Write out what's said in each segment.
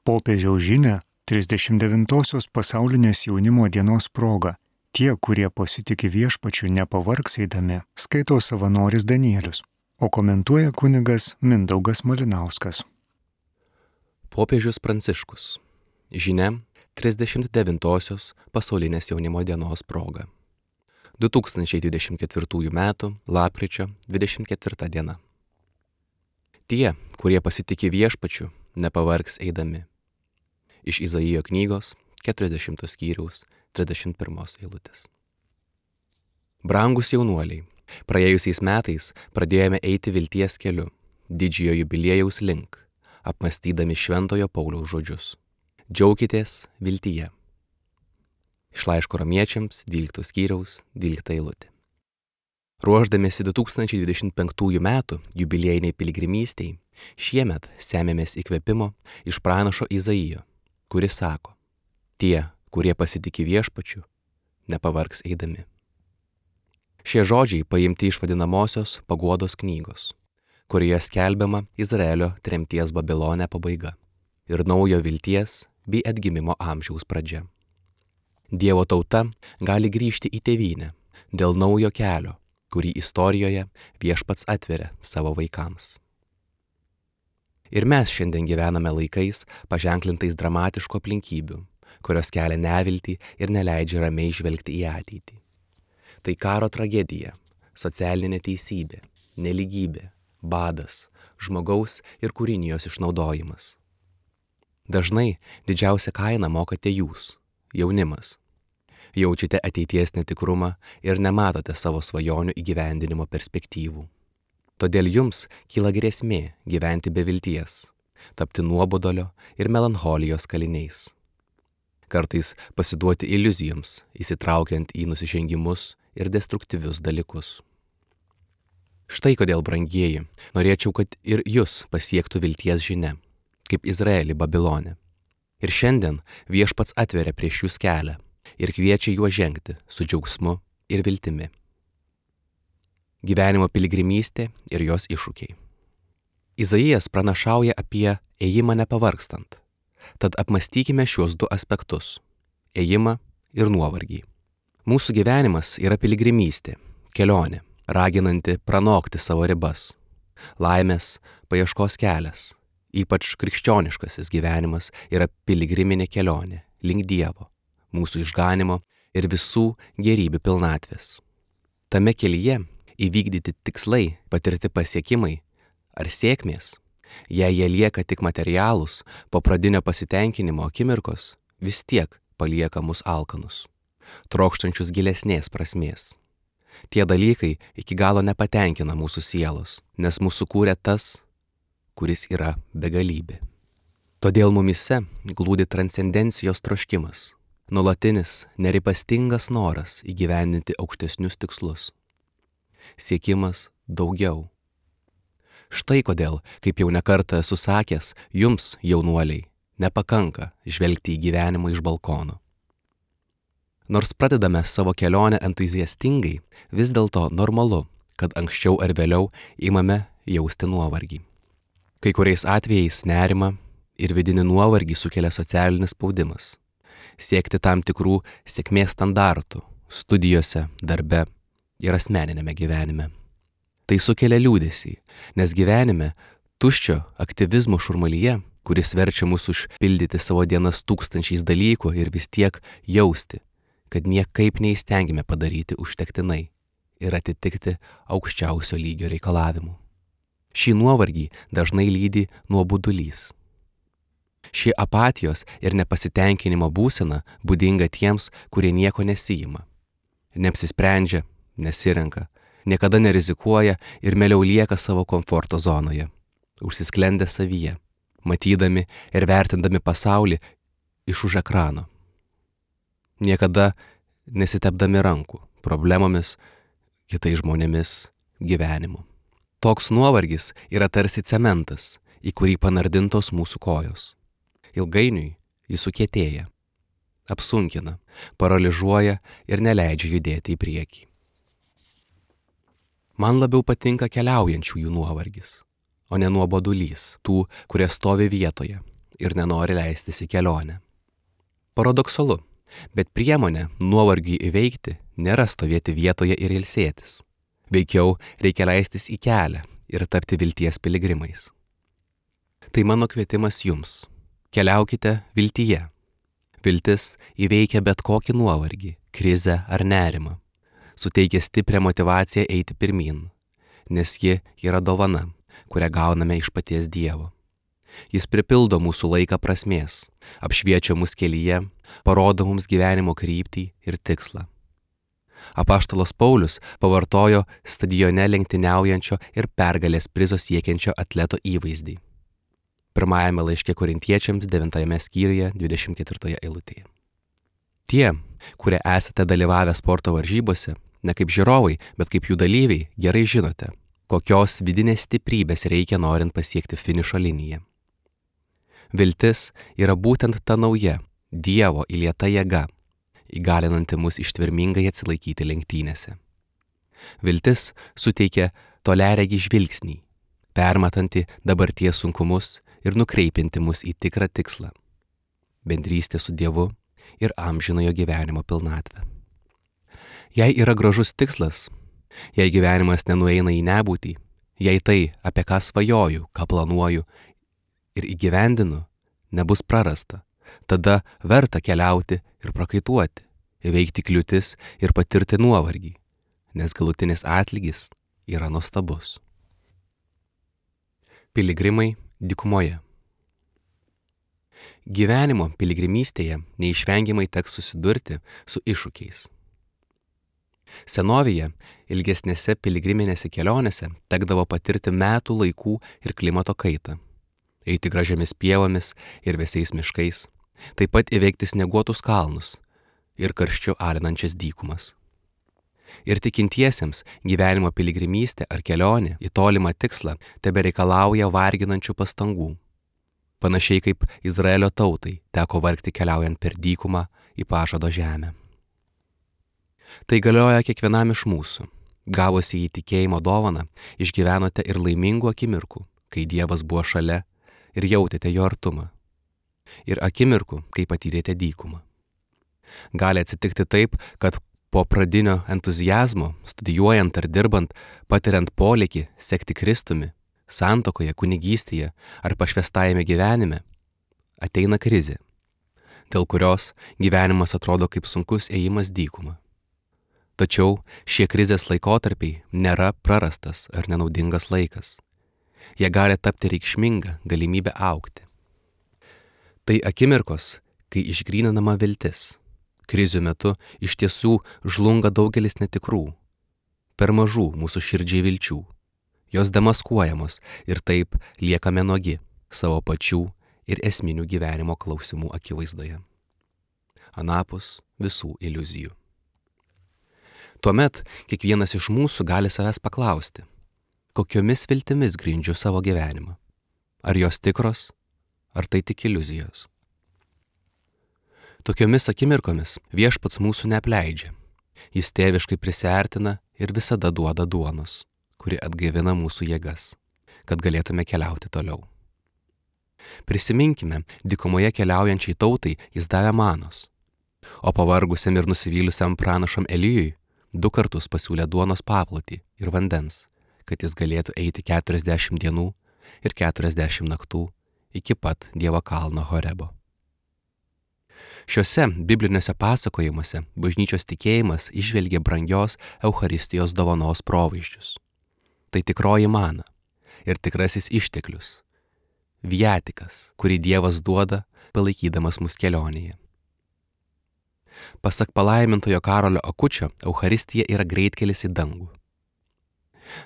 Popiežiaus žinia 39-osios pasaulinės jaunimo dienos proga. Tie, kurie pasitikė viešpačiu, nepavargs eidami, skaito savanoris Danielius, o komentuoja kunigas Mindaugas Malinauskas. Popiežius Pranciškus. Žinia 39-osios pasaulinės jaunimo dienos proga. 2024 m. lapkričio 24 diena. Tie, kurie pasitikė viešpačiu, nepavargs eidami. Iš Izaijo knygos 40 skyriaus 31 eilutės. Brangūs jaunuoliai, praėjusiais metais pradėjome eiti vilties keliu, didžiojo jubiliejaus link, apmąstydami Šventojo Pauliaus žodžius. Džiaukitės viltyje. Iš laiško Romiečiams 12 skyriaus 12 eilutė. Ruošdamiesi 2025 metų jubiliejiniai piligrimystei, šiemet semėmės įkvėpimo iš pranašo Izaijo, kuris sako: tie, kurie pasitikė viešpačiu, nepavargs eidami. Šie žodžiai paimti iš vadinamosios paguodos knygos, kurioje skelbiama Izraelio tremties Babilone pabaiga ir naujo vilties bei atgimimo amžiaus pradžia. Dievo tauta gali grįžti į tėvynę dėl naujo kelio, kurį istorijoje viešpats atveria savo vaikams. Ir mes šiandien gyvename laikais paženklintais dramatiškų aplinkybių, kurios kelia neviltį ir neleidžia ramiai žvelgti į ateitį. Tai karo tragedija, socialinė neteisybė, nelygybė, badas, žmogaus ir kūrinijos išnaudojimas. Dažnai didžiausią kainą mokate jūs, jaunimas. Jaučiate ateities netikrumą ir nematote savo svajonių įgyvendinimo perspektyvų. Todėl jums kyla grėsmė gyventi be vilties, tapti nuobodulio ir melancholijos kaliniais. Kartais pasiduoti iliuzijoms, įsitraukiant į nusižengimus ir destruktyvius dalykus. Štai kodėl, brangieji, norėčiau, kad ir jūs pasiektų vilties žinia, kaip Izraelį Babilone. Ir šiandien viešpats atveria prieš jūs kelią ir kviečia juo žengti su džiaugsmu ir viltimi. Gyvenimo piligrimystė ir jos iššūkiai. Izaijas pranašauja apie ėjimą nepavargstant, tad apmąstykime šiuos du aspektus – ėjimą ir nuovargį. Mūsų gyvenimas yra piligrimystė, kelionė, raginanti pranokti savo ribas. Laimės paieškos kelias, ypač krikščioniškasis gyvenimas, yra piligriminė kelionė link Dievo, mūsų išganimo ir visų gėrybių pilnatvės. Tame kelyje įvykdyti tikslai, patirti pasiekimai ar sėkmės, jei jie lieka tik materialūs, po pradinio pasitenkinimo akimirkos, vis tiek palieka mus alkanus, trokštančius gilesnės prasmės. Tie dalykai iki galo nepatenkina mūsų sielos, nes mūsų kūrė tas, kuris yra begalybė. Todėl mumyse glūdi transcendencijos troškimas, nuolatinis, neripastingas noras įgyvendinti aukštesnius tikslus. Siekimas daugiau. Štai kodėl, kaip jau nekartą esu sakęs, jums, jaunuoliai, nepakanka žvelgti į gyvenimą iš balkono. Nors pradedame savo kelionę entuziastingai, vis dėlto normalu, kad anksčiau ar vėliau imame jausti nuovargį. Kai kuriais atvejais nerimą ir vidinį nuovargį sukelia socialinis spaudimas. Siekti tam tikrų sėkmės standartų studijose, darbe ir asmeninėme gyvenime. Tai sukelia liūdesį, nes gyvenime tuščio aktyvizmo šurmulyje, kuris verčia mus užpildyti savo dienas tūkstančiais dalykų ir vis tiek jausti, kad niekaip neįstengime padaryti užtektinai ir atitikti aukščiausio lygio reikalavimų. Šį nuovargį dažnai lydi nuobodulys. Ši apatijos ir nepasitenkinimo būsena būdinga tiems, kurie nieko nesijima, neapsisprendžia, nesirenka, niekada nerizikuoja ir mieliau lieka savo komforto zonoje, užsisklendę savyje, matydami ir vertindami pasaulį iš už ekrano. Niekada nesitepdami rankų problemomis, kitais žmonėmis, gyvenimu. Toks nuovargis yra tarsi cementas, į kurį panardintos mūsų kojos. Ilgainiui jis sukietėja, apsunkina, paralyžuoja ir neleidžia judėti į priekį. Man labiau patinka keliaujančiųjų nuovargis, o ne nuobodulys tų, kurie stovi vietoje, ir nenori leistis į kelionę. Paradoksalu, bet priemonė nuovargiui įveikti nėra stovėti vietoje ir ilsėtis. Veikiau reikia leistis į kelią ir tapti vilties piligrimais. Tai mano kvietimas jums. Keliaukite viltyje. Viltis įveikia bet kokį nuovargį, krizę ar nerimą. Suteikia stiprią motyvaciją eiti pirmyn, nes ji yra dovana, kurią gauname iš paties Dievo. Jis pripildo mūsų laiką prasmės, apšviečia mus kelyje, parodo mums gyvenimo kryptį ir tikslą. Apaštalas Paulius pavartojo stadione lenktyniaujančio ir pergalės prizo siekiančio atleto įvaizdį. Pirmajame laiške Korintiečiams 9 skyriuje 24 eilutėje. Tie, kurie esate dalyvavę sporto varžybose, ne kaip žiūrovai, bet kaip jų dalyviai, gerai žinote, kokios vidinės stiprybės reikia norint pasiekti finišo liniją. Viltis yra būtent ta nauja, Dievo įlieta jėga, įgalinanti mus ištvermingai atsilaikyti lenktynėse. Viltis suteikia toliaregį žvilgsnį, permatanti dabarties sunkumus ir nukreipianti mus į tikrą tikslą – bendrystę su Dievu ir amžinojo gyvenimo pilnatvę. Jei yra gražus tikslas, jei gyvenimas nenueina į nebūtį, jei tai, apie ką svajoju, ką planuoju ir įgyvendinu, nebus prarasta, tada verta keliauti ir prakaituoti, įveikti kliūtis ir patirti nuovargį, nes galutinis atlygis yra nuostabus. Piligrimai dykumoje. Gyvenimo piligrimystėje neišvengiamai teks susidurti su iššūkiais. Senovėje ilgesnėse piligriminėse kelionėse tekdavo patirti metų laikų ir klimato kaitą, eiti gražiamis pievomis ir vėsiais miškais, taip pat įveikti snieguotus kalnus ir karščiu alinančias dykumas. Ir tikintiesiems gyvenimo piligrimystė ar kelionė į tolimą tikslą tebereikalauja varginančių pastangų. Panašiai kaip Izraelio tautai teko vargti keliaujant per dykumą į pažado žemę. Tai galioja kiekvienam iš mūsų. Gavusi į tikėjimo dovaną, išgyvenote ir laimingų akimirkų, kai Dievas buvo šalia ir jautėte jo artumą. Ir akimirkų, kai patyrėte dykumą. Gali atsitikti taip, kad po pradinio entuziazmo, studijuojant ar dirbant, patiriant polėkį sekti Kristumi, santuokoje, kunigystėje ar pašvęstajame gyvenime, ateina krizė, dėl kurios gyvenimas atrodo kaip sunkus ėjimas dykuma. Tačiau šie krizės laikotarpiai nėra prarastas ar nenaudingas laikas. Jie gali tapti reikšminga galimybė augti. Tai akimirkos, kai išgryninama viltis. Krizių metu iš tiesų žlunga daugelis netikrų, per mažų mūsų širdžiai vilčių. Jos demaskuojamos ir taip liekame nuogi savo pačių ir esminių gyvenimo klausimų akivaizdoje. Anapus visų iliuzijų. Tuomet kiekvienas iš mūsų gali savęs paklausti, kokiomis viltimis grindžiu savo gyvenimą. Ar jos tikros, ar tai tik iliuzijos? Tokiomis akimirkomis Viešpats mūsų neapleidžia. Jis tėviškai prisiartina ir visada duoda duonos, kuri atgaivina mūsų jėgas, kad galėtume keliauti toliau. Prisiminkime, dykumoje keliaujančiai tautai jis davė manos, o pavargusiam ir nusivylusiam pranašam Elijui 2 kartus pasiūlė duonos paplotį ir vandens, kad jis galėtų eiti 40 dienų ir 40 naktų iki pat Dievo kalno Horebo. Šiuose bibliniuose pasakojimuose bažnyčios tikėjimas įžvelgia brangios Eucharistijos dovanos provaizdžius. Tai tikroji mana ir tikrasis išteklius, viatikas, kurį Dievas duoda, palaikydamas mus kelionėje. Pasak palaimintojo Karolio Akučio, Eucharistija yra greitkelis į dangų.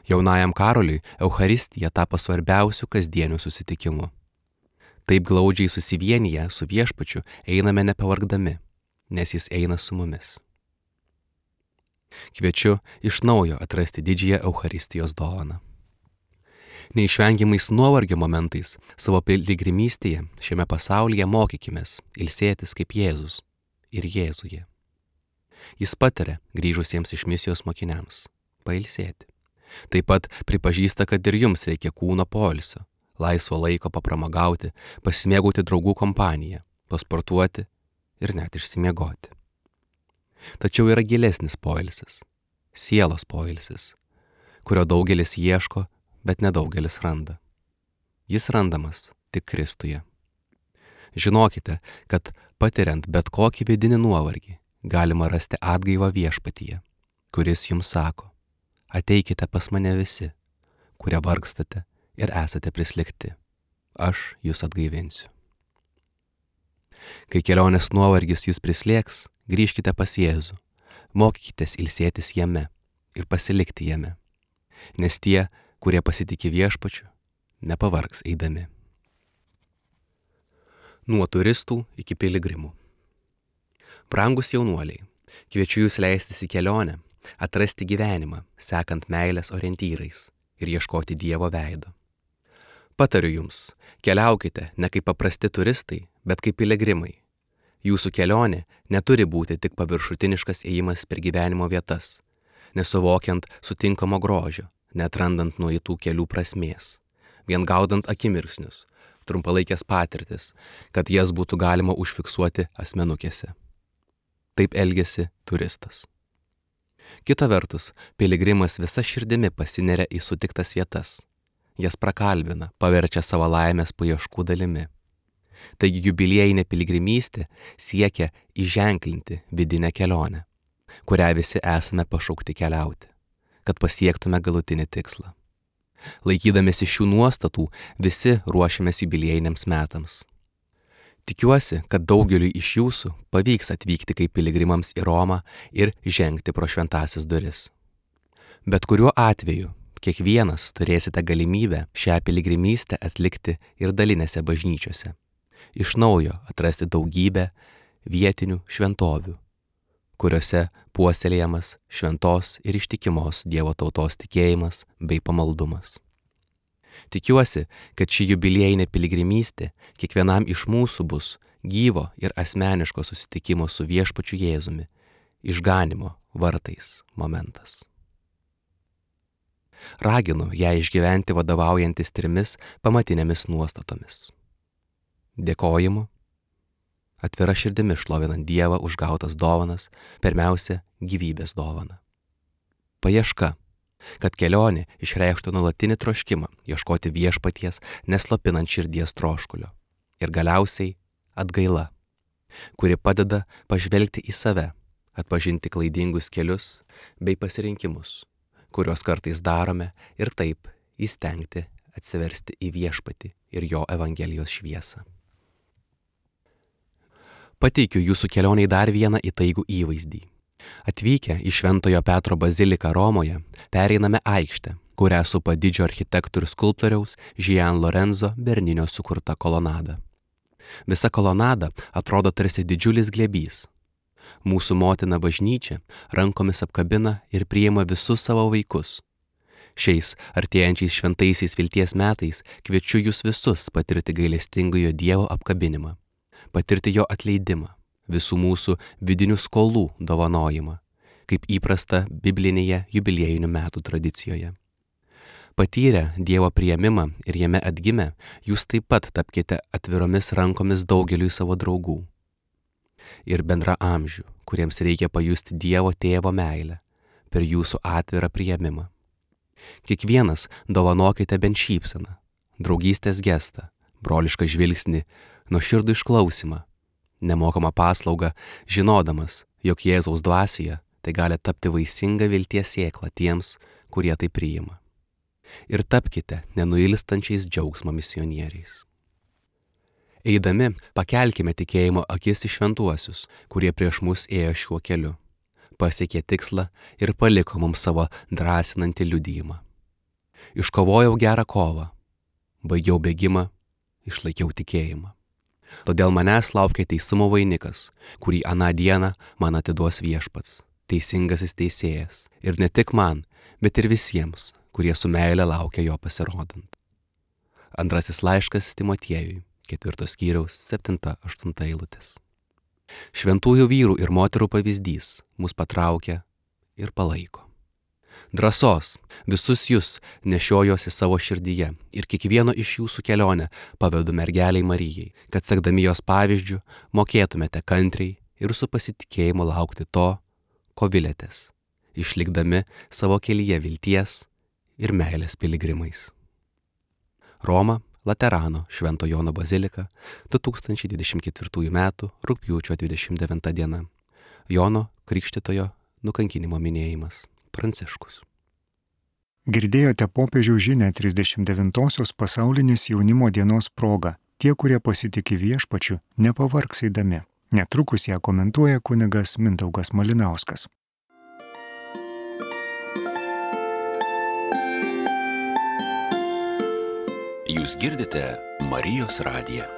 Jaunajam Karoliui Eucharistija tapo svarbiausiu kasdieniu susitikimu. Taip glaudžiai susivienyje su Viešpačiu einame nepavargdami, nes jis eina su mumis. Kviečiu iš naujo atrasti didžiąją Eucharistijos dovaną. Neišvengiamais nuovargio momentais savo piligrimystėje šiame pasaulyje mokykimės ilsėtis kaip Jėzus ir Jėzuje. Jis pataria grįžusiems iš misijos mokiniams pailsėti. Taip pat pripažįsta, kad ir jums reikia kūno poilsio, laisvo laiko papramogauti, pasimėgauti draugų kompaniją, pasportuoti ir net išsimiegoti. Tačiau yra gilesnis poilsis, sielos poilsis, kurio daugelis ieško, bet nedaugelis randa. Jis randamas tik Kristuje. Žinokite, kad patiriant bet kokį vidinį nuovargį, galima rasti atgaivą viešpatyje, kuris jums sako: ateikite pas mane visi, kurie vargstate ir esate prislėgti, aš jūs atgaivinsiu. Kai kelionės nuovargis jūs prislėgs, grįžkite pas Jėzų, mokykitės ilsėtis jame ir pasilikti jame, nes tie, kurie pasitikė viešpačiu, nepavargs eidami. Nuo turistų iki piligrimų. Brangus jaunuoliai, kviečiu jūs leistis į kelionę, atrasti gyvenimą, sekant meilės orientyrais ir ieškoti Dievo veido. Patariu jums, keliaukite ne kaip paprasti turistai, bet kaip piligrimai. Jūsų kelionė neturi būti tik paviršutiniškas ėjimas per gyvenimo vietas, nesuvokiant sutinkamo grožio, neatrandant nueitų kelių prasmės, vien gaudant akimirksnius, trumpalaikės patirtis, kad jas būtų galima užfiksuoti asmenukėse. Taip elgiasi turistas. Kita vertus, piligrimas visa širdimi pasineria į sutiktas vietas, jas prakalbina, paverčia savo laimės paieškų dalimi. Taigi jubiliejinė piligrimystė siekia įženklinti vidinę kelionę, kurią visi esame pašaukti keliauti, kad pasiektume galutinį tikslą. Laikydamėsi šių nuostatų, visi ruošiamės jubiliejiniams metams. Tikiuosi, kad daugeliui iš jūsų pavyks atvykti kaip piligrimams į Romą ir žengti pro šventąsias duris. Bet kuriuo atveju, kiekvienas turėsite galimybę šią piligrimystę atlikti ir dalinėse bažnyčiose. Iš naujo atrasti daugybę vietinių šventovių, kuriuose puoselėjamas šventos ir ištikimos Dievo tautos tikėjimas bei pamaldumas. Tikiuosi, kad ši jubiliejinė piligrimystė kiekvienam iš mūsų bus gyvo ir asmeniško susitikimo su viešpačiu Jėzumi, išganymo vartais momentas. Raginu ją išgyventi vadovaujantis 3 pamatinėmis nuostatomis. Dėkojimu, atvira širdimi šlovinant Dievą už gautas dovanas, pirmiausia, gyvybės dovaną. Paieška, kad kelionė išreikštų nuolatinį troškimą ieškoti viešpaties, neslopinant širdies troškulio. Ir galiausiai atgaila, kuri padeda pažvelgti į save, atpažinti klaidingus kelius bei pasirinkimus, kuriuos kartais darome ir taip įstengti atsiversti į viešpatį ir jo Evangelijos šviesą. Pateikiu jūsų kelioniai dar vieną įtaigų įvaizdį. Atvykę į Šventojo Petro baziliką Romoje, pereiname aikštę, kurią supa didžio architektų ir skulptoriaus Gian Lorenzo Bernino sukurta kolonada. Visa kolonada atrodo tarsi didžiulis glėbys. Mūsų motina bažnyčia rankomis apkabina ir priima visus savo vaikus. Šiais artėjančiais šventaisiais vilties metais kviečiu jūs visus patirti gailestingojo Dievo apkabinimą, patirti jo atleidimą, visų mūsų vidinių skolų dovanojimą, kaip įprasta biblinėje jubiliejinių metų tradicijoje. Patyrę Dievo priėmimą ir jame atgimę, jūs taip pat tapkite atviromis rankomis daugeliui savo draugų ir bendraamžių, kuriems reikia pajusti Dievo tėvo meilę per jūsų atvirą priėmimą. Kiekvienas dovanokite bent šypseną, draugystės gestą, brolišką žvilgsnį, nuoširdų išklausimą, nemokamą paslaugą, žinodamas, jog Jėzaus dvasioje tai gali tapti vaisinga vilties sėkla tiems, kurie tai priima. Ir tapkite nenuilstančiais džiaugsmo misionieriais. Eidami, pakelkime tikėjimo akis į šventuosius, kurie prieš mus ėjo šiuo keliu, pasiekė tikslą ir paliko mums savo drąsinantį liudijimą. Iškovojau gerą kovą, baigiau bėgimą, išlaikiau tikėjimą. Todėl manęs laukia teisumo vainikas, kurį aną dieną man atiduos viešpats, teisingasis teisėjas, ir ne tik man, bet ir visiems, kurie su meile laukia jo pasirodant. Antrasis laiškas Timotiejui, 4 skyriaus 7-8 eilutės. Šventųjų vyrų ir moterų pavyzdys mus patraukia ir palaiko. Drąsos visus jūs nešiojosi savo širdyje ir kiekvieno iš jūsų kelionę pavedu mergeliai Marijai, kad sekdami jos pavyzdžių mokėtumėte kantriai ir su pasitikėjimu laukti to, ko vilėtės, išlikdami savo kelyje vilties ir meilės piligrimais. Roma, Laterano Švento Jono bazilika, 2024 m. rugpjūčio 29 diena. Jono Krikštytojo nukankinimo minėjimas. Pranciškus. Girdėjote popiežiaus žinią 39-osios pasaulinės jaunimo dienos proga. Tie, kurie pasitikė viešpačiu, nepavargs eidami. Netrukus ją komentuoja kunigas Mindaugas Malinauskas. Jūs girdite Marijos radiją.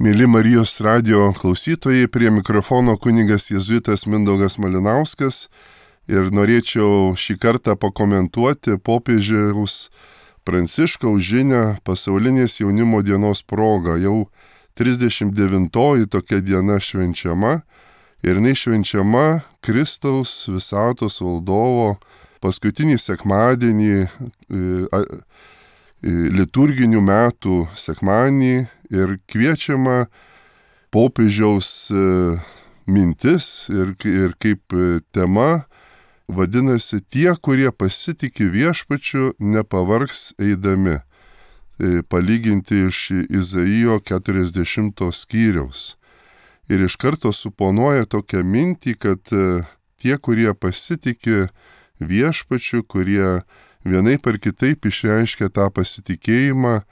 Mėly Marijos radijo klausytojai, prie mikrofono kunigas jėzuitas Mindaugas Malinauskas ir norėčiau šį kartą pakomentuoti popiežiaus Pranciškaus žinią pasaulinės jaunimo dienos proga. Jau 39-oji tokia diena švenčiama ir jinai švenčiama Kristaus visatos valdovo paskutinį sekmadienį, liturginių metų sekmadienį ir kviečiama popiežiaus mintis ir kaip tema vadinasi tie, kurie pasitikė viešpačiu, nepavargs eidami. Palyginti iš Izaijo 40 skyriaus. Ir iš karto suponuoja tokią mintį, kad tie, kurie pasitikė viešpačiu, kurie vienaip ar kitaip išreiškia tą pasitikėjimą,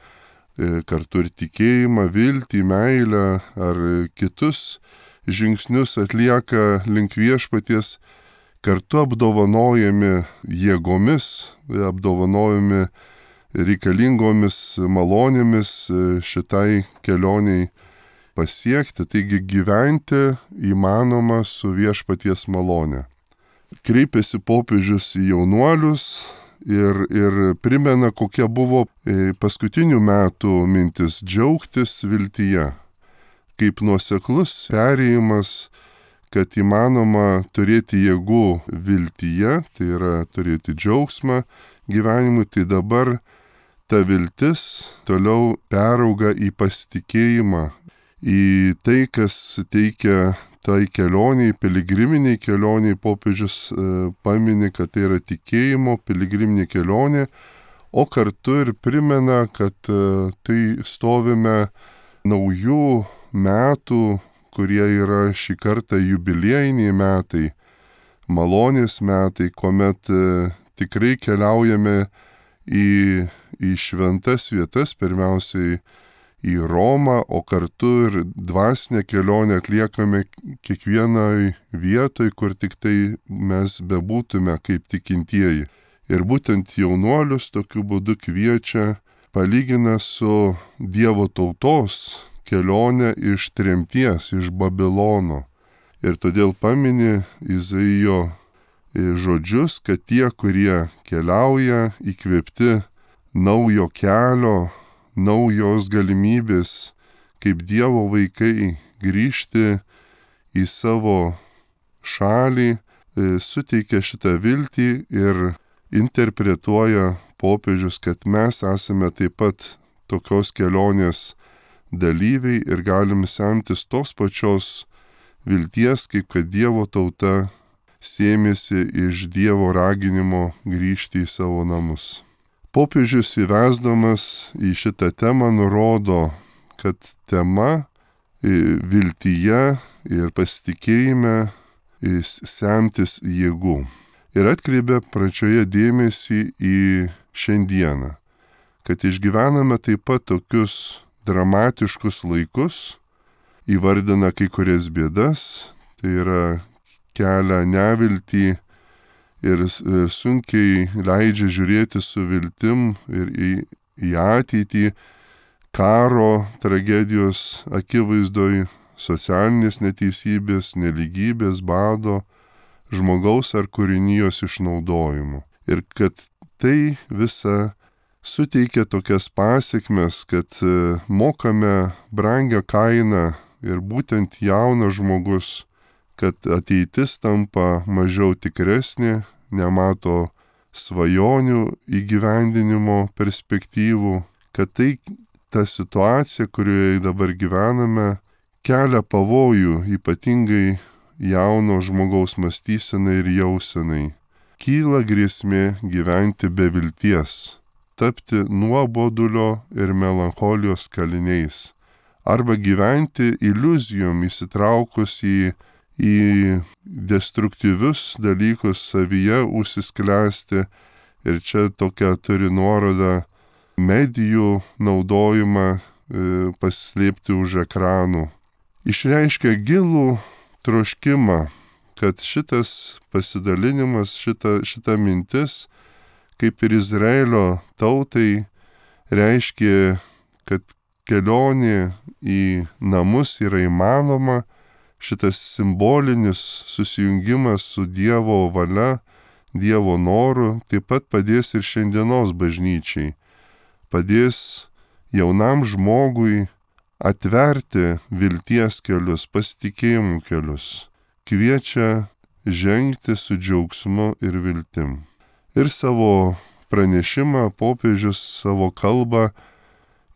kartu ir tikėjimą, viltį, meilę ar kitus žingsnius atlieka link viešpaties, kartu apdovanojami jėgomis, apdovanojami reikalingomis malonėmis šitai kelioniai pasiekti, taigi gyventi įmanoma su viešpaties malone. Kreipiasi popiežius į jaunuolius ir primena, kokia buvo paskutinių metų mintis - džiaugtis viltyje. Kaip nuoseklus perėjimas, kad įmanoma turėti jėgų viltyje, tai yra turėti džiaugsmą gyvenimui, tai dabar ta viltis toliau perauga į pasitikėjimą, į tai, kas teikia tai kelioniai, piligriminiai kelioniai. Popiežius pamini, kad tai yra tikėjimo piligriminė kelionė, o kartu ir primena, kad tai stovime naujų metų, kurie yra šį kartą jubiliejiniai metai, malonės metai, kuomet tikrai keliaujame į šventas vietas, pirmiausiai į Romą, o kartu ir dvasinę kelionę atliekame kiekvienai vietoj, kur tik tai mes bebūtume kaip tikintieji. Ir būtent jaunuolius tokiu būdu kviečia, palygina su Dievo tautos kelionę iš tremties, iš Babilono. Ir todėl pamini Izaijo žodžius, kad tie, kurie keliauja įkvėpti naujo kelio, naujos galimybės, kaip Dievo vaikai grįžti į savo šalį, suteikia šitą viltį ir interpretuoja popiežius, kad mes esame taip pat tokios kelionės dalyviai ir galim semtis tos pačios vilties, kaip kad Dievo tauta sėmėsi iš Dievo raginimo grįžti į savo namus. Popiežius įvesdamas į šitą temą nurodo, kad tema viltyje ir pasitikėjime semtis jėgų. Ir atkreipia pradžioje dėmesį į šiandieną, kad išgyvename taip pat tokius dramatiškus laikus, įvardina kai kurias bėdas, tai yra kelia neviltį ir sunkiai leidžia žiūrėti su viltim ir į ateitį, karo tragedijos akivaizdoj, socialinės neteisybės, nelygybės, bado, žmogaus ar kūrinijos išnaudojimu. Ir kad tai visa suteikia tokias pasekmes, kad mokame brangią kainą ir būtent jaunas žmogus, kad ateitis tampa mažiau tikresnė, nemato svajonių įgyvendinimo perspektyvų, kad tai ta situacija, kurioje dabar gyvename, kelia pavojų ypatingai jauno žmogaus mąstysenai ir jausenai. Kyla grėsmė gyventi be vilties, tapti nuobodulio ir melancholijos kaliniais, arba gyventi iliuzijom įsitraukus į destruktyvius dalykus savyje užsisklęsti, ir čia tokia turi nuoroda medijų naudojimą paslėpti už ekranų. Išreiškia gilų troškimą, kad šitas pasidalinimas, šita mintis, kaip ir Izraelio tautai, reiškia, kad kelionė į namus yra įmanoma, šitas simbolinis susijungimas su Dievo valia, Dievo noru taip pat padės ir šiandienos bažnyčiai. Padės jaunam žmogui atverti vilties kelius, pasitikėjimų kelius. Kviečia žengti su džiaugsmu ir viltim. Ir savo pranešimą popiežius savo kalbą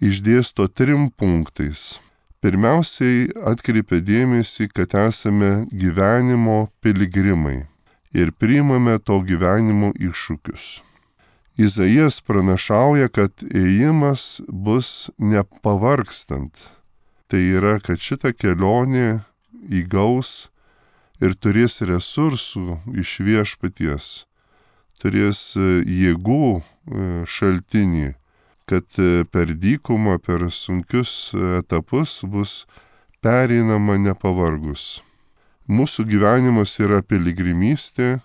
išdėsto 3 punktais. Pirmiausiai atkreipia dėmesį, kad esame gyvenimo piligrimai ir priimame to gyvenimo iššūkius. Izaijas pranašauja, kad ėjimas bus nepavargstant. Tai yra, kad šita kelionė įgaus ir turės resursų iš viešpaties, turės jėgų šaltinį, kad per dykumą, per sunkius etapus bus pereinama nepavargus. Mūsų gyvenimas yra piligrimystė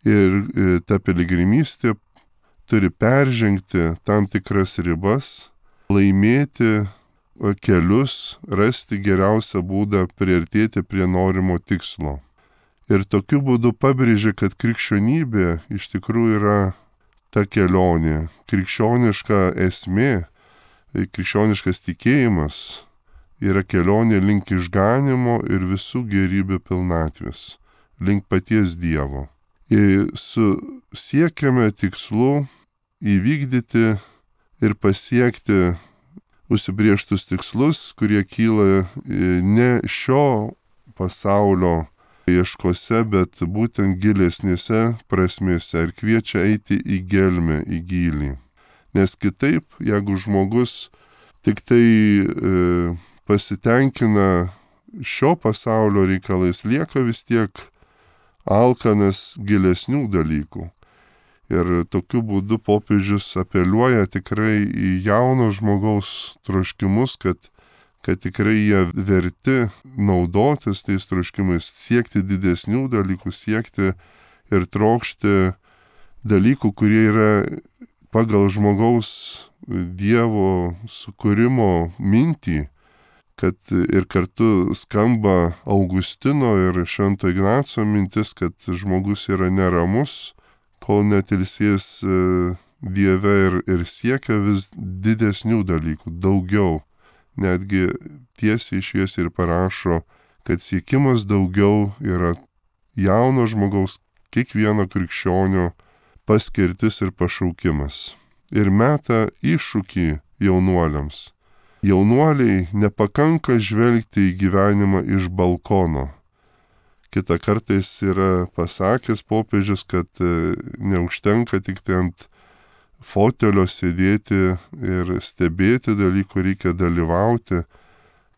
ir ta piligrimystė turi peržengti tam tikras ribas, laimėti kelius, rasti geriausią būdą priartėti prie norimo tikslo. Ir tokiu būdu pabrėžia, kad krikščionybė iš tikrųjų yra ta kelionė, krikščioniška esmė, krikščioniškas tikėjimas yra kelionė link išganimo ir visų gerybių pilnatvės, link paties Dievo. Ir siekiame tikslų įvykdyti ir pasiekti užsibrėžtus tikslus, kurie kyla ne šio pasaulio ieškose, bet būtent gilesnėse prasmėse ir kviečia eiti į gelmę, į gylį. Nes kitaip, jeigu žmogus tik tai pasitenkina šio pasaulio reikalais, lieka vis tiek alkanas gilesnių dalykų. Ir tokiu būdu popiežius apeliuoja tikrai į jauno žmogaus troškimus, kad tikrai jie verti naudotis tais troškimais, siekti didesnių dalykų, siekti ir trokšti dalykų, kurie yra pagal žmogaus Dievo sukūrimo mintį, kad ir kartu skamba Augustino ir Švento Ignaco mintis, kad žmogus yra neramus, kol netilsės Dieve ir siekia vis didesnių dalykų, daugiau. Netgi tiesiai šviesiai ir parašo, kad siekimas daugiau yra jauno žmogaus, kiekvieno krikščionio paskirtis ir pašaukimas. Ir meta iššūkį jaunuoliams. Jaunuoliai nepakanka žvelgti į gyvenimą iš balkono. Kita kartais yra pasakęs popiežius, kad neužtenka tik tai ant fotelio sėdėti ir stebėti dalykų, reikia dalyvauti.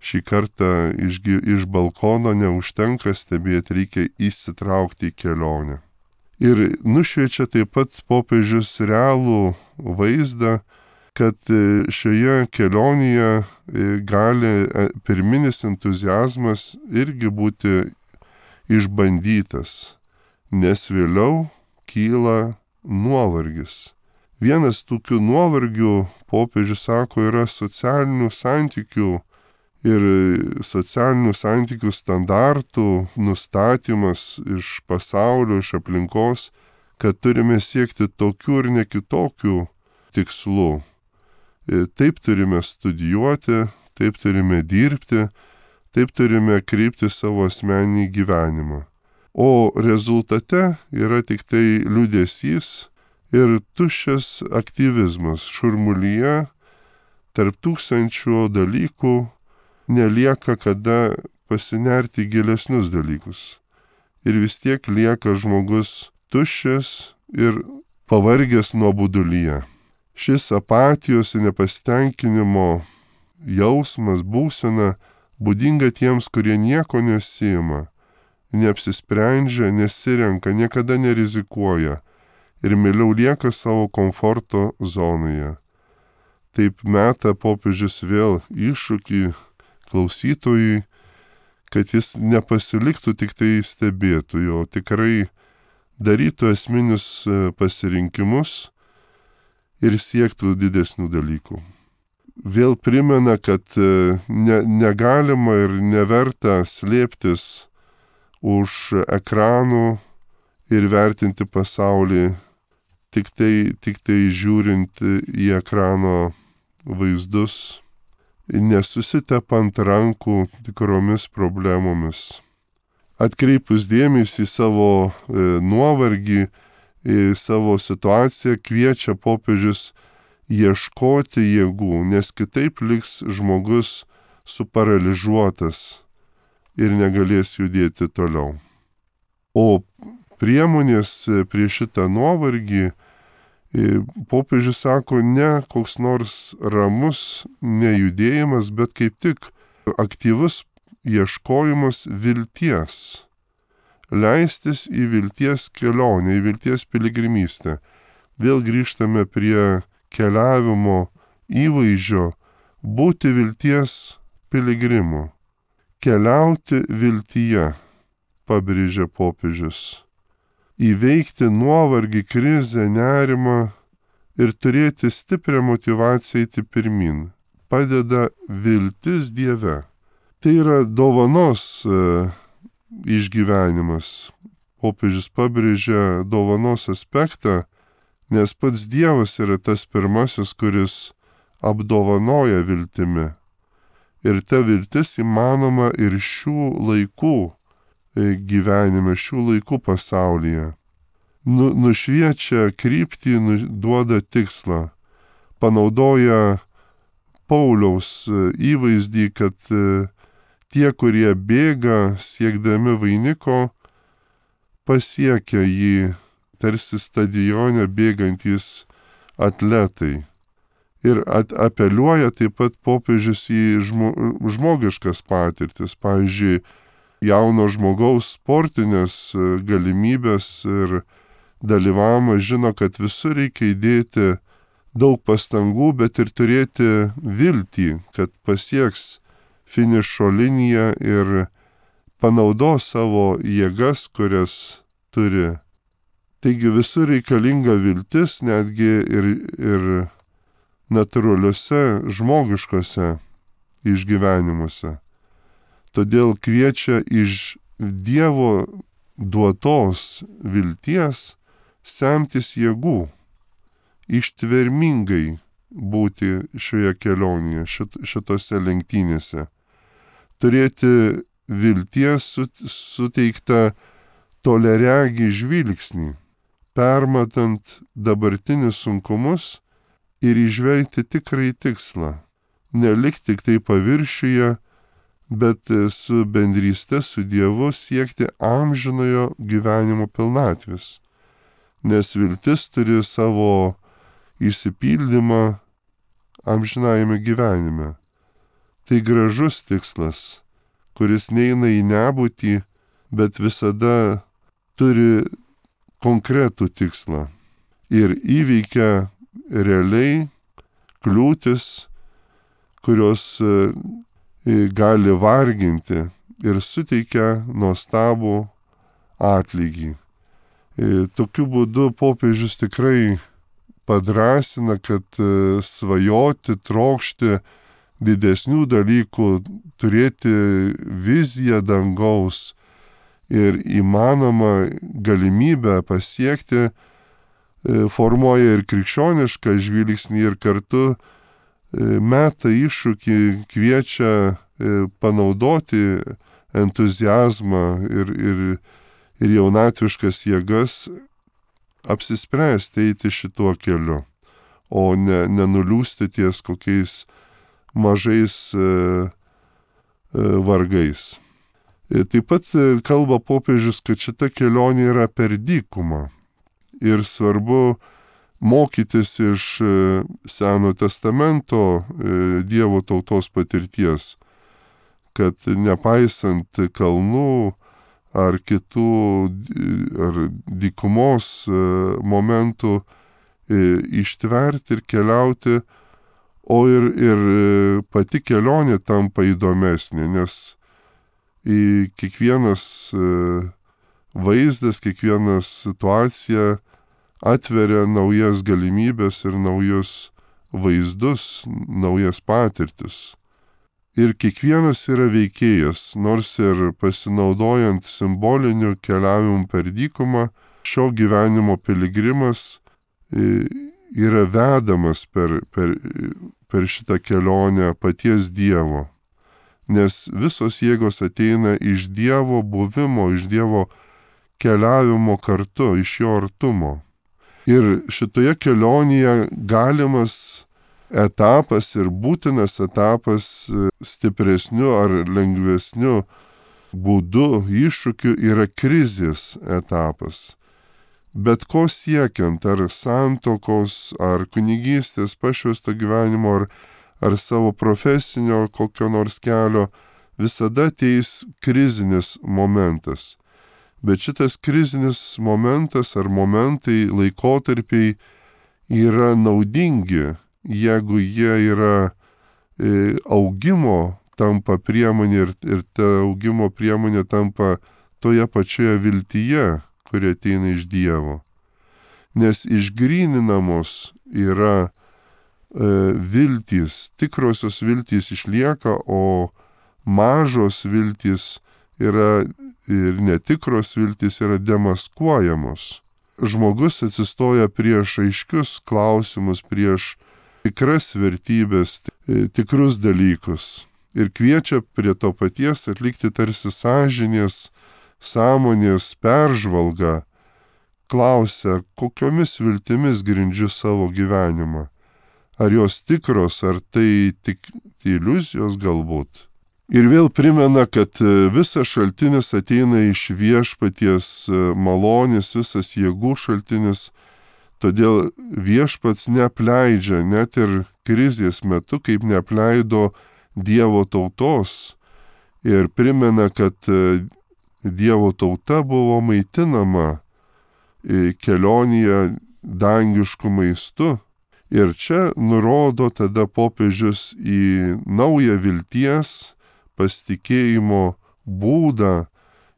Šį kartą iš balkono neužtenka stebėti, reikia įsitraukti į kelionę. Ir nušviečia taip pat popiežius realų vaizdą, kad šioje kelionėje gali pirminis entuziazmas irgi būti išbandytas, nes vėliau kyla nuovargis. Vienas tokių nuovargių, popiežius sako, yra socialinių santykių ir socialinių santykių standartų nustatymas iš pasaulio, iš aplinkos, kad turime siekti tokių ir ne kitokių tikslų. Taip turime studijuoti, taip turime dirbti, taip turime kreipti savo asmeninį gyvenimą. O rezultate yra tik tai liūdesys ir tuščias aktyvizmas šurmulyje, tarp tūkstančių dalykų nelieka kada pasinerti į gilesnius dalykus. Ir vis tiek lieka žmogus tuščias ir pavargęs nuobodulyje. Šis apatijos ir nepasitenkinimo jausmas, būsena būdinga tiems, kurie nieko nesima, neapsisprendžia, nesirenka, niekada nerizikuoja ir mieliau lieka savo komforto zonoje. Taip meta popiežius vėl iššūkį klausytojui, kad jis nepasiliktų tik tai stebėtojų, o tikrai darytų esminius pasirinkimus ir siektų didesnių dalykų. Vėl primena, kad negalima ir neverta slėptis už ekranų ir vertinti pasaulį tik tai žiūrint į ekrano vaizdus, nesusitepant rankų tikromis problemomis. Atkreipus dėmesį į savo nuovargį, į savo situaciją, kviečia popiežius ieškoti jėgų, nes kitaip liks žmogus suparalyžiuotas ir negalės judėti toliau. O priemonės prieš šitą nuovargį popiežius sako ne koks nors ramus nejudėjimas, bet kaip tik aktyvus ieškojimas vilties. Leistis į vilties kelionę, į vilties piligrimystę. Vėl grįžtame prie keliavimo įvaizdžio, būti vilties piligrimu. Keliauti viltyje, pabrėžia popiežius. Įveikti nuovargį, krizę, nerimą ir turėti stiprią motyvaciją eiti pirmin. Padeda viltis Dieve. Tai yra dovanos išgyvenimas. Popiežius pabrėžia dovanos aspektą, nes pats Dievas yra tas pirmasis, kuris apdovanoja viltimi. Ir ta viltis įmanoma ir šių laikų gyvenime, šių laikų pasaulyje. Nušviečia kryptį, duoda tikslą. Panaudoja Pauliaus įvaizdį, kad tie, kurie bėga siekdami vainiko, pasiekia jį tarsi stadione bėgantys atletai. Ir apeliuoja taip pat popiežius į žmogiškas patirtis, pavyzdžiui, jauno žmogaus sportinės galimybės ir dalyvavimas, žino, kad visur reikia įdėti daug pastangų, bet ir turėti viltį, kad pasieks finišo liniją ir panaudos savo jėgas, kurias turi. Taigi visur reikalinga viltis, netgi ir natūraliuose žmogiškose išgyvenimuose. Todėl kviečia iš Dievo duotos vilties semtis jėgų, ištvermingai būti šioje kelionėje, šitose lenktynėse. Turėti vilties suteiktą toleregį žvilgsnį, permatant dabartinius sunkumus ir įžvelgti tikrai tikslą. Nelik tik tai paviršiuje, bet su bendryste su Dievu siekti amžinojo gyvenimo pilnatvės. Nes viltis turi savo išsipildymą amžinajame gyvenime. Tai gražus tikslas, kuris neina į nebūtį, bet visada turi konkretų tikslą ir įveikia realiai kliūtis, kurios gali varginti ir suteikia nuostabų atlygį. Tokiu būdu popiežius tikrai padrasina, kad svajoti, trokšti didesnių dalykų, turėti viziją dangaus ir įmanomą galimybę pasiekti, formuoja ir krikščionišką žvilgsnį ir kartu meta iššūkį, kviečia panaudoti entuziazmą ir jaunatviškas jėgas apsispręsti eiti šituo keliu, o nenuliūsti ties kokiais mažais vargais. Taip pat kalba popiežius, kad šita kelionė yra per dykumą ir svarbu mokytis iš Seno testamento Dievo tautos patirties, kad nepaisant kalnų ar kitų ar dykumos momentų ištverti ir keliauti, o ir pati kelionė tampa įdomesnė, nes kiekvienas vaizdas, kiekviena situacija atveria naujas galimybės ir naujus vaizdus, naujas patirtis. Ir kiekvienas yra veikėjas, nors ir pasinaudojant simboliniu keliavimu per dykumą, šio gyvenimo piligrimas yra vedamas per šitą kelionę paties Dievo. Nes visos jėgos ateina iš Dievo buvimo, iš Dievo keliavimo kartu, iš jo artumo. Ir šitoje kelionėje galimas etapas ir būtinas etapas stipresniu ar lengvesniu būdu, iššūkiu yra krizės etapas. Bet ko siekiant, ar santokos, ar kunigystės, pašvęsto gyvenimo, ar savo profesinio kokio nors kelio, visada ateis krizinis momentas. Bet šitas krizinis momentas ar momentai, laikotarpiai yra naudingi, jeigu jie yra augimo tampa priemonė ir ta augimo priemonė tampa toje pačioje viltyje, kuri ateina iš Dievo. Nes išgryninamos yra viltys, tikrosios viltys išlieka, o mažos viltys yra ir netikros viltys yra demaskuojamos. Žmogus atsistoja prieš aiškius klausimus, prieš tikras vertybės, tikrus dalykus ir kviečia prie to paties atlikti tarsi sąžinės, sąmonės peržvalgą, klausia, kokiomis viltimis grindžiu savo gyvenimą. Ar jos tikros, ar tai tik iliuzijos galbūt. Ir vėl primena, kad visas šaltinis ateina iš viešpaties malonės, visas jėgų šaltinis, todėl viešpats neapleidžia net ir krizės metu, kaip neapleido Dievo tautos. Ir primena, kad Dievo tauta buvo maitinama kelionėje dangišku maistu. Ir čia nurodo tada popiežius į naują vilties, pasitikėjimo būdą,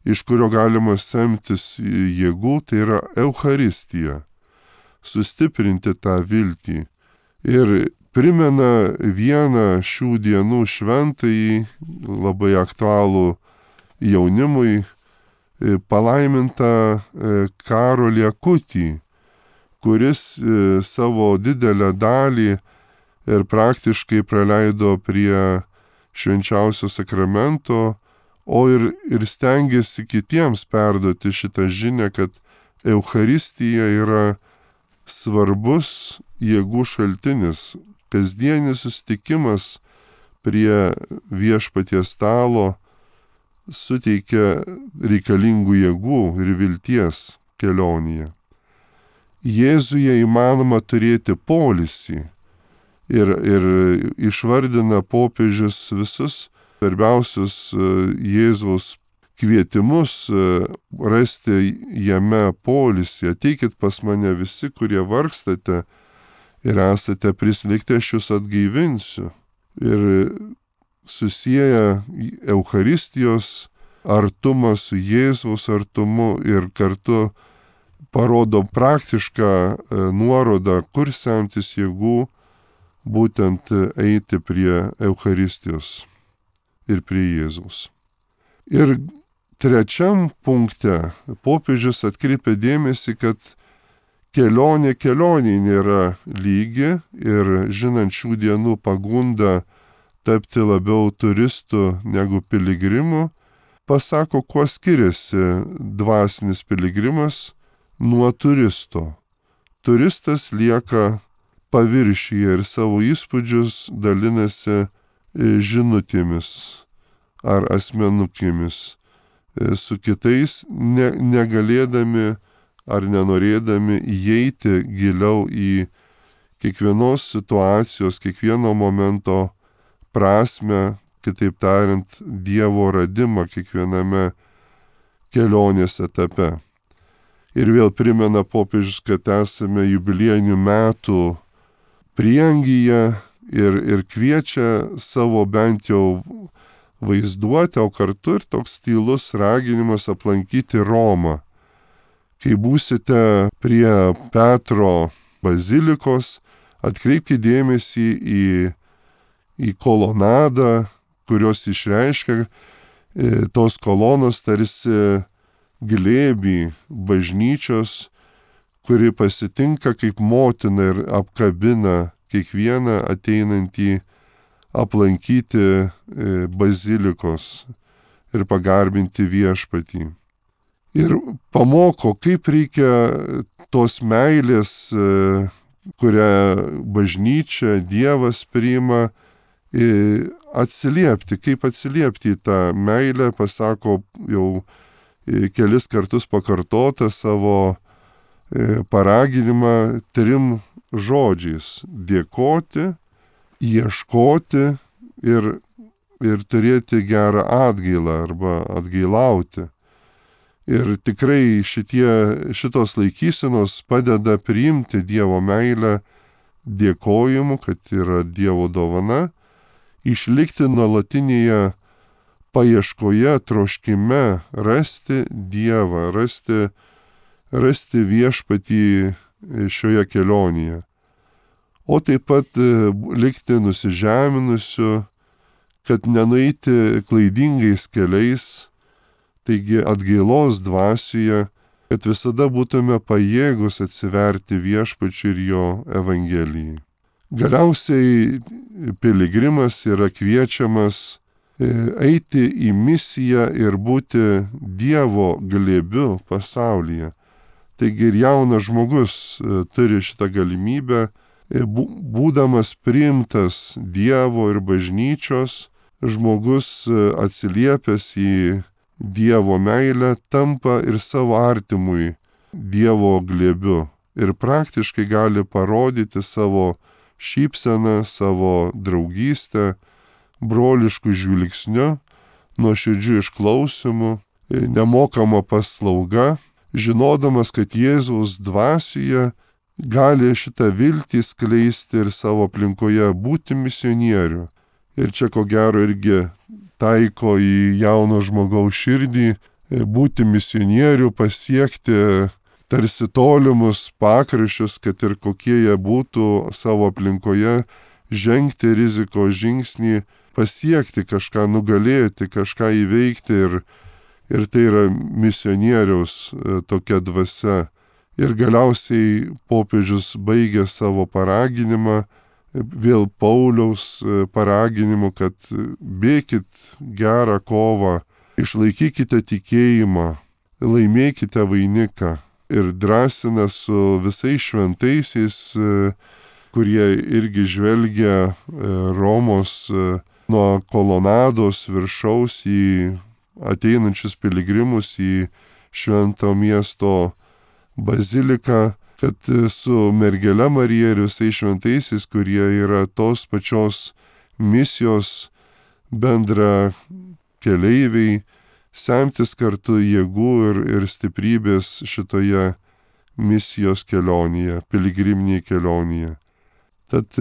iš kurio galima semtis jėgų, tai yra Eucharistija. Sustiprinti tą viltį. Ir primena vieną šių dienų šventąjį, labai aktualų jaunimui, palaimintą Karolį Akutį, kuris savo didelę dalį ir praktiškai praleido prie švenčiausio sakramento, o ir stengiasi kitiems perduoti šitą žinią, kad Eucharistija yra svarbus jėgų šaltinis, kasdienis susitikimas prie viešpaties stalo suteikia reikalingų jėgų ir vilties kelionėje. Jėzuje įmanoma turėti poilsį ir išvardina popiežius visus svarbiausius Jėzaus kvietimus rasti jame poilsį. Ateikit pas mane visi, kurie vargstate ir esate prislėgti, aš jūs atgaivinsiu. Ir susieja Eucharistijos artumą su Jėzaus artumu ir kartu parodo praktišką nuorodą, kur semtis jėgų, būtent eiti prie Eucharistijos ir prie Jėzaus. Ir trečiam punkte popiežius atkreipia dėmesį, kad kelionė nėra lygi ir žinant šių dienų pagundą tapti labiau turistų negu piligrimu, pasako, kuo skiriasi dvasinis piligrimas nuo turisto. Turistas lieka paviršiuje ir savo įspūdžius dalinasi žinutėmis ar asmenukėmis su kitais, negalėdami ar nenorėdami įeiti giliau į kiekvienos situacijos, kiekvieno momento prasmę, kitaip tariant, Dievo radimą kiekviename kelionės etape. Ir vėl primena popiežius, kad esame jubiliejinių metų prieangyje ir kviečia savo bent jau vaizduotę, o kartu ir toks tylus raginimas aplankyti Romą. Kai būsite prie Petro bazilikos, atkreipkite dėmesį į kolonadą, kurios išreiškia tos kolonos tarsi glėbį bažnyčios, kuri pasitinka kaip motina ir apkabina kiekvieną ateinantį aplankyti bazilikos ir pagarbinti viešpatį. Ir pamoko, kaip reikia tos meilės, kurią bažnyčia, Dievas priima, atsiliepti, kaip atsiliepti į tą meilę, pasako jau kelis kartus pakartotą savo paraginimą 3 žodžiais: dėkoti, ieškoti ir turėti gerą atgailą arba atgailauti. Ir tikrai šitos laikysenos padeda priimti Dievo meilę dėkojimu, kad yra Dievo dovana, išlikti nuolatinėje paieškoje, troškime rasti Dievą, rasti viešpatį šioje kelionėje. O taip pat likti nusižeminusiu, kad nenueiti klaidingais keliais, taigi atgailos dvasioje, kad visada būtume pajėgus atsiverti viešpačiui ir jo evangelijai. Galiausiai piligrimas yra kviečiamas eiti į misiją ir būti Dievo glėbiu pasaulyje. Taigi ir jaunas žmogus turi šitą galimybę, būdamas priimtas Dievo ir bažnyčios, žmogus atsiliepęs į Dievo meilę tampa ir savo artimui Dievo glėbiu ir praktiškai gali parodyti savo šypseną, savo draugystę, broliškų žvilgsnių, nuoširdžių išklausimų, nemokama paslauga, žinodamas, kad Jėzaus dvasioje gali šitą viltį skleisti ir savo aplinkoje būti misionieriu. Ir čia ko gero irgi taiko į jauno žmogaus širdį, būti misionieriu, pasiekti tarsi tolimus pakraščius, kad ir kokie jie būtų savo aplinkoje, žengti rizikos žingsnį, pasiekti kažką, nugalėti, kažką įveikti ir tai yra misionieriaus tokia dvasia. Ir galiausiai popiežius baigė savo paraginimą, vėl Pauliaus paraginimu, kad bėkit gerą kovą, išlaikykite tikėjimą, laimėkite vainiką. Ir drąsina su visais šventaisiais, kurie irgi žvelgia Romos nuo kolonados viršaus į ateinančius piligrimus į švento miesto baziliką, kad su mergele Marija ir visais šventaisiais, kurie yra tos pačios misijos bendra keleiviai, semtis kartu jėgų ir stiprybės šitoje misijos kelionėje, piligriminėje kelionėje. Tad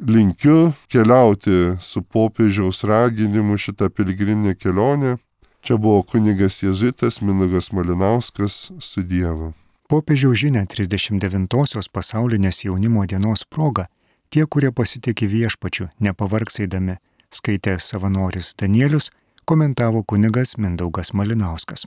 linkiu keliauti su popiežiaus raginimu šitą piligriminę kelionę. Čia buvo kunigas jėzuitas Mindaugas Malinauskas, su Dievu. Popiežiaus žinia 39-osios pasaulinės jaunimo dienos proga tie, kurie pasitikė viešpačiu, nepavargs eidami, skaitė savanoris Danielius, komentavo kunigas Mindaugas Malinauskas.